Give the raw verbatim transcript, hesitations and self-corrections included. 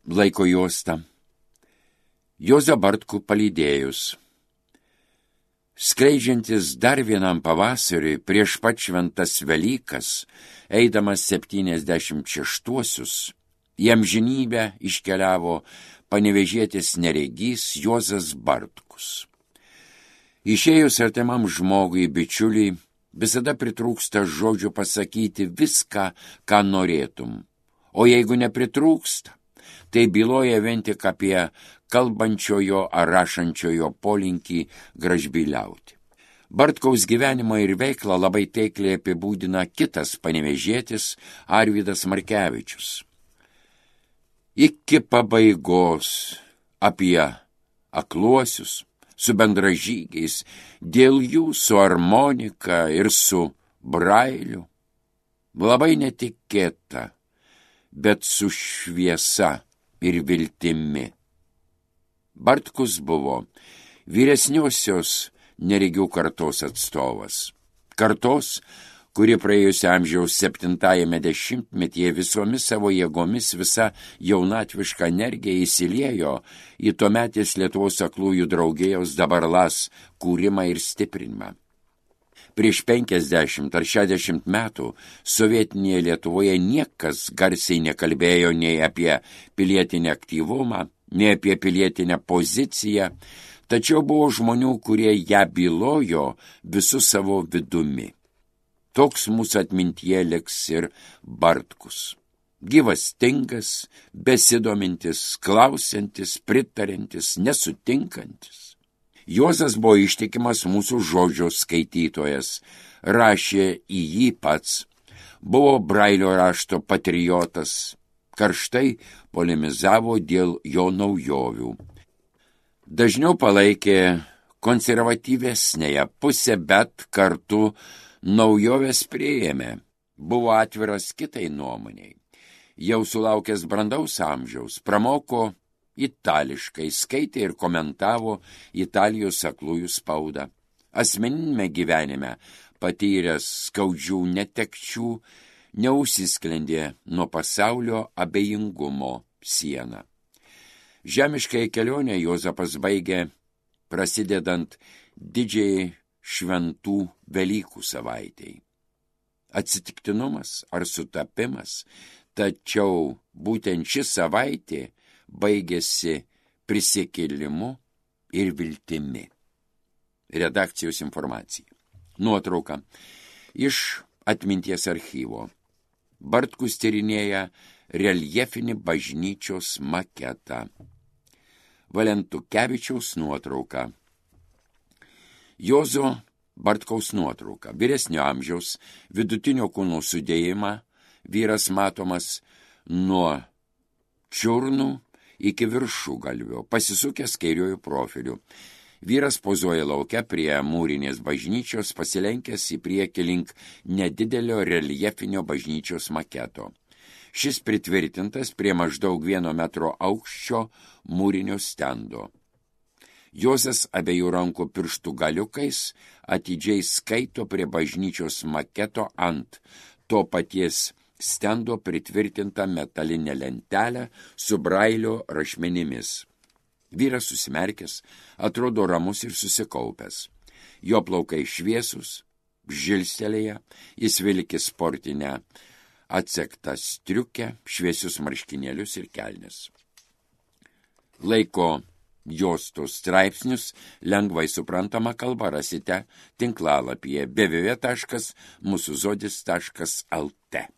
Laiko juosta. Juozą Bartkų palydėjus. Skleidžiantis dar vienam pavasariui prieš pat šventas Velykas, eidamas septyniasdešimt šeštuosius, į amžinybę iškeliavo panevėžietis neregys Juozas Bartkus. Išėjus artimam žmogui, bičiuliui, visada pritrūksta žodžių pasakyti viską, ką norėtum. O jeigu nepritrūksta, tai byloja vien tik apie kalbančiojo ar rašančiojo polinkį gražbyliauti. Bartkaus gyvenimą ir veiklą labai taikliai apibūdina kitas panevėžietis Arvydas Markevičius. Iki pabaigos apie akluosius su bendražygiais, dėl jų su armonika ir su brailiu. Labai netikėta, bet su šviesa ir viltimi. Bartkus buvo vyresniosios neregių kartos atstovas. Kartos, kuri praėjusio amžiaus septintajame dešimtmetyje visomis savo jėgomis visa jaunatviška energija įsiliejo į tuometės Lietuvos aklųjų draugijos Dabarlas kūrimą ir stiprinimą. Prieš penkiasdešimt ar šešiasdešimt metų sovietinėje Lietuvoje niekas garsiai nekalbėjo nei apie pilietinę aktyvumą, nei apie pilietinę poziciją, tačiau buvo žmonių, kurie ją bylojo visų savo vidumi. Toks mūsų atmintyje liks ir Bartkus. Gyvastingas, besidomintis, klausiantis, pritariantis, nesutinkantis. Juozas buvo ištikimas mūsų žodžio skaitytojas, rašė į jį pats, buvo brailio rašto patriotas, karštai polemizavo dėl jo naujovių. Dažniau palaikė konservatyvesnėje pusę, bet kartu naujoves priėmė, buvo atviras kitai nuomoniai. Jau sulaukęs brandaus amžiaus, pramoko itališkai, skaitė ir komentavo Italijos aklųjų spaudą. Asmeninėme gyvenime patyręs skaudžių netekčių, neužsisklendė nuo pasaulio abejingumo sieną. Žemiškai kelionę Juozapas baigė prasidedant didžiai šventų Velykų savaitei. Atsitiktinumas ar sutapimas, tačiau būtent ši savaitė baigėsi prisikėlimu ir viltimi. Redakcijos informacija. Nuotrauka iš atminties archyvo. Bartkus tyrinėja reljefinį bažnyčios maketą. Valentukevičiaus nuotrauka. Juozo Bartkaus nuotrauka. Vyresnio amžiaus, vidutinio kūno sudėjimą, vyras matomas nuo čiurnų iki viršugalvio, pasisukęs kairiuoju profiliu. Vyras pozuoja lauke prie mūrinės bažnyčios, pasilenkęs į priekį link nedidelio reljefinio bažnyčios maketo. Šis pritvirtintas prie maždaug vieno metro aukščio mūrinio stendo. Juozas abiejų rankų pirštų galiukais atidžiai skaito prie bažnyčios maketo ant to paties stendo pritvirtintą metalinę lentelę su brailio rašmenimis. Vyras susimerkęs, atrodo ramus ir susikaupęs. Jo plaukai šviesus, žilstelėje, jis vilki sportinę atsektą striukę, šviesius marškinėlius ir kelnes. Laiko juostos straipsnius lengvai suprantama kalba rasite tinklalapyje w w w taškas mūsų zodis taškas l t.